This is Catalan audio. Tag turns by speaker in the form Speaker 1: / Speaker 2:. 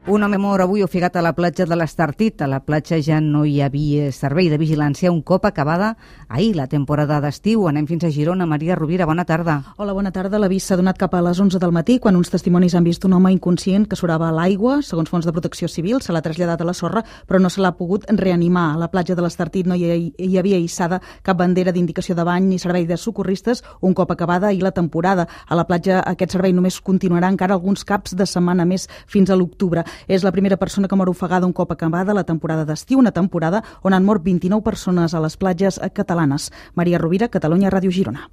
Speaker 1: Un home mor avui ofegat a la platja de l'Estartit. A la platja ja no hi havia servei de vigilància un cop acabada ahir la temporada d'estiu. Anem fins a Girona. Maria Rovira, bona tarda.
Speaker 2: Hola, bona tarda. L'avís s'ha donat cap a les 11 del matí quan uns testimonis han vist un home inconscient que surava a l'aigua. Segons fons de protecció civil, se l'ha traslladat a la sorra, però no se l'ha pogut reanimar. A la platja de l'Estartit no hi havia hissada cap bandera d'indicació de bany ni servei de socorristes un cop acabada ahir la temporada. A la platja aquest servei només continuarà encara alguns caps de setmana més fins a l'octubre. És la primera persona que mor ofegada un cop acabada la temporada d'estiu, una temporada on han mort 29 persones a les platges catalanes. Maria Rovira, Catalunya Ràdio Girona.